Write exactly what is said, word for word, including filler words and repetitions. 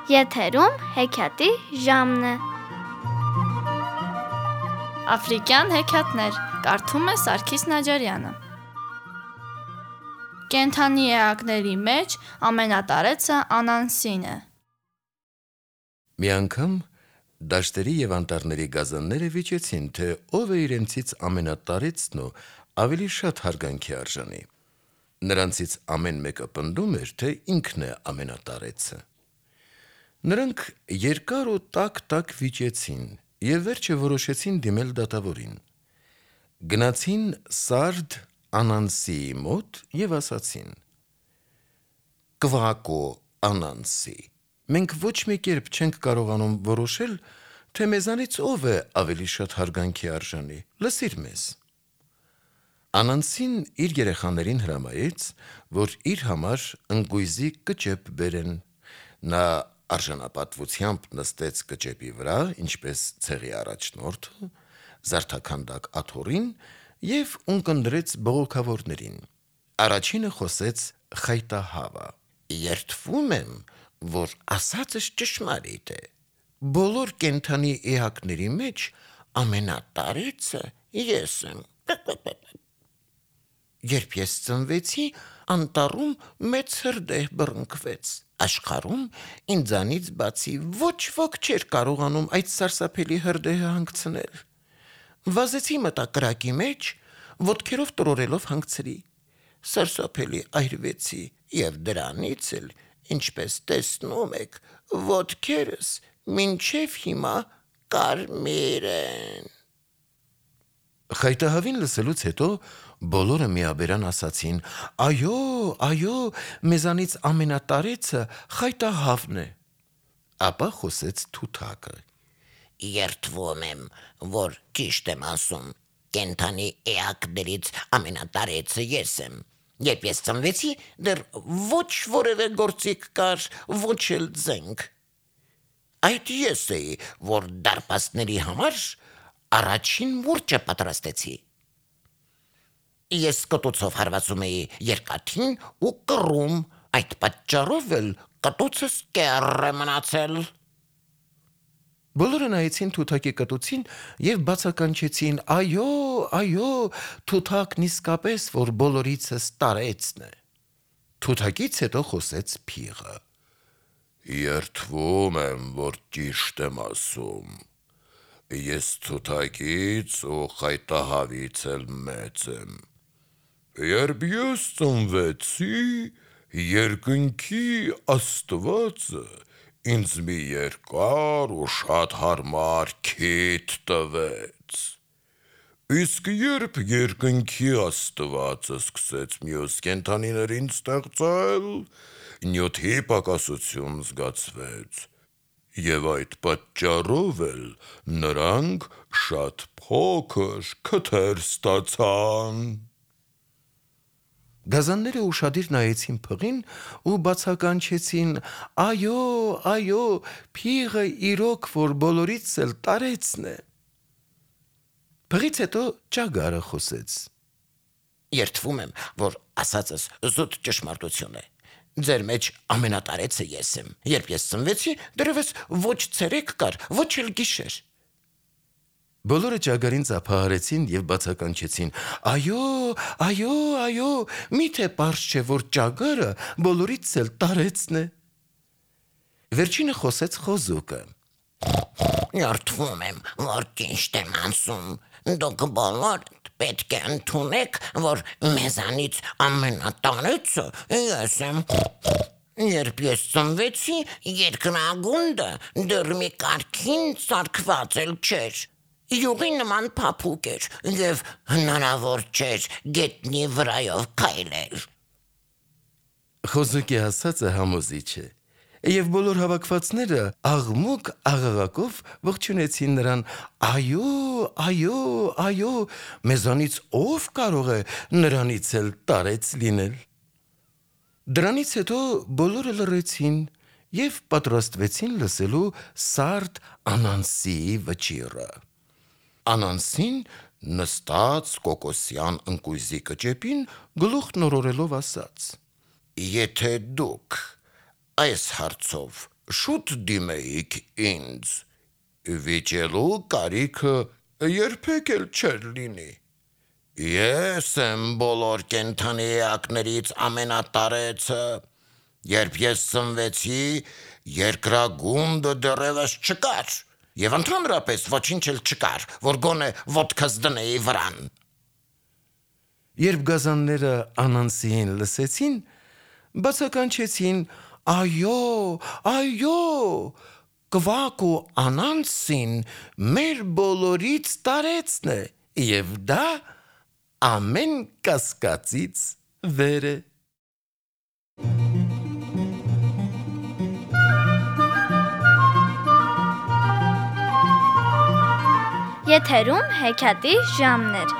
Եթերում հեքիաթի ժամն է։ Աֆրիկյան հեքիաթներ կարդում է Սարգիս Նաջարյանը։ Կենդանի էակների մեջ ամենատարեցը Անանսին է։ Մի անգամ դաշտերի և անտառների գազանները վիճեցին, թե ով է իրենցից ամենատարեցն ու ավելի շատ հարգանքի արժանի։ Նրանցից ամեն մեկը պնդում էր, թե ինքն է ամենատարեցը։ Նրանք երկար ու տաք-տաք վիճեցին և վերջը որոշեցին դիմել դատավորին։ Գնացին Սարդ Անանսիի մոտ և ասացին. «Կվակո Անանսի, մենք ոչ մի կերպ չենք կարողանում որոշել, թե մեզանից ով է ավելի շատ հարգանքի արժանի, լսիր մեզ»։ Անանսին իր երեխաներին հրամայեց, որ իր համար ընկույզի կճեպ բերեն։ Նա արժանապատվությամբ նստեց կճեպի վրա, ինչպես ցեղի առաջնորդը, զարդաքանդակ աթոռին և ունկնդրեց բողոքավորներին։ Առաջինը խոսեց Խայտահավը. «Երդվում եմ, որ ասածս ճշմարիտ է։ Բոլոր կենդանի էակների մեջ ամենատարեցը ես եմ։ Երբ ես ծնվեցի, անտառում մեծ հրդեհ բռնկվեց։ Աշխարհում ինձանից բացի ոչ ոք չէր կարողանում այդ սարսափելի հրդեհը հանգցնել։ Վազեցի մտա կրակի մեջ, ոտքերով տրորելով հանգցրի։ Սարսափելի այրվեցի և դրանից էլ, ինչպես տեսնում եք, ոտքերս մինչև հիմա կարմիր են»։ Խայտահավին լսելուց հետո բոլորը միաբերան ասացին. «Այո, այո, մեզանից ամենատարեցը Խայտահավն է»։ Ապա խոսեց Թութակը. «Երդվում եմ, որ ճիշտ եմ ասում, կենդանի էակներից ամենատարեցը ես եմ։ Երբ ես ծնվեցի, դեռ ոչ որևէ գործիք կար, ոչ էլ զենք։ Այդ ես էի, որ դարպասների համար առաջին մուրճը պատրաստեցի։ Ես կտուցով հարվածում էի երկաթին ու կռում, այդ պատճառով էլ կտուցս կեռ է մնացել»։ Բոլորը նայեցին Թութակի կտուցին և բացականչեցին. «Այո, այո, Թութակն իսկապես որ բոլորիցս տարեցն է»։ Թութակից հետո խոսեց Փիղը. «Երդվում եմ, որ ճիշտ եմ ասում։ Ես Թութակից ու Խայտահավից էլ մեծ եմ։ Երբ ես ծնվեցի, երկնքի Աստվածը ինձ մի երկար ու շատ հարմար քիթ տվեց։ Իսկ երբ երկնքի Աստվածը սկսեց մյուս կենդանիներին ստեղծել, նյութի պակասություն զգացվեց, և այդ պատճառով էլ նրանք շատ փոքր քթեր ստացան»։ Գազանները ուշադիր նայեցին Փղին ու բացականչեցին. «Այո, այո, Փիղը իրոք որ բոլորից էլ տարեցն է»։ Փղից հետո Ճագարը խոսեց. «Երդվում եմ, որ ասածս զուտ ճշմարտություն է։ Ձեր մեջ ամենատարեցը ես եմ։ Երբ ես ծնվեցի, դեռևս ոչ ցերեկ կար, ոչ էլ գիշեր»։ Բոլորը Ճագարին ծափահարեցին և բացականչեցին. «Այո, այո, այո, միթե պարզ չէ, որ Ճագարը բոլորից էլ տարեցն է»։ Վերջինը խոսեց Խոզուկը. «Երդվում եմ, որ ճիշտ եմ ասում։ Դուք բոլորդ պետք է ընդունեք, որ մեզանից ամենատարեցը ես եմ։ Երբ ես ծնվեցի, երկրագունդը դեռ մի կարգին ծարգված էլ չէր։ Յուղի նման փափուկ էր և հնարավոր չէր գետնի վրայով քայլել»։ Խոզուկի ասածը համոզիչ է, և բոլոր հավաքվածները աղմուկ-աղաղակով ողջունեցին նրան. «Այո, այո, այո, մեզանից ով կարող է նրանից էլ տարեց լինել»։ Դրանից հետո բոլորը լռեցին և պատրաստվեցին լսելու Սարդ Անանսիի վճիռը։ Անանսին նստած կոկոսյան ընկույզի կճեպին, գլուխն օրորելով ասաց. «Եթե դուք այս հարցով շուտ դիմեիք ինձ, վիճելու կարիքը երբեք էլ չեր լինի։ Ես եմ բոլոր կենդանի էակներից ամենատարեցը, երբ ես ծնվեցի, երկրագունդը դեռևս չկար, և ընդհանրապես ոչինչ էլ չկար, որ գոնե ոտքս դնեի վրան։ Երբ գազանները Անանսիին լսեցին, բացականչեցին. «Այո, այո, Կվակ ու Անանսին մեր բոլորից տարեցն է, և դա ամեն կասկածից վեր է»։ Եթերում հեքիաթի ժամն էր։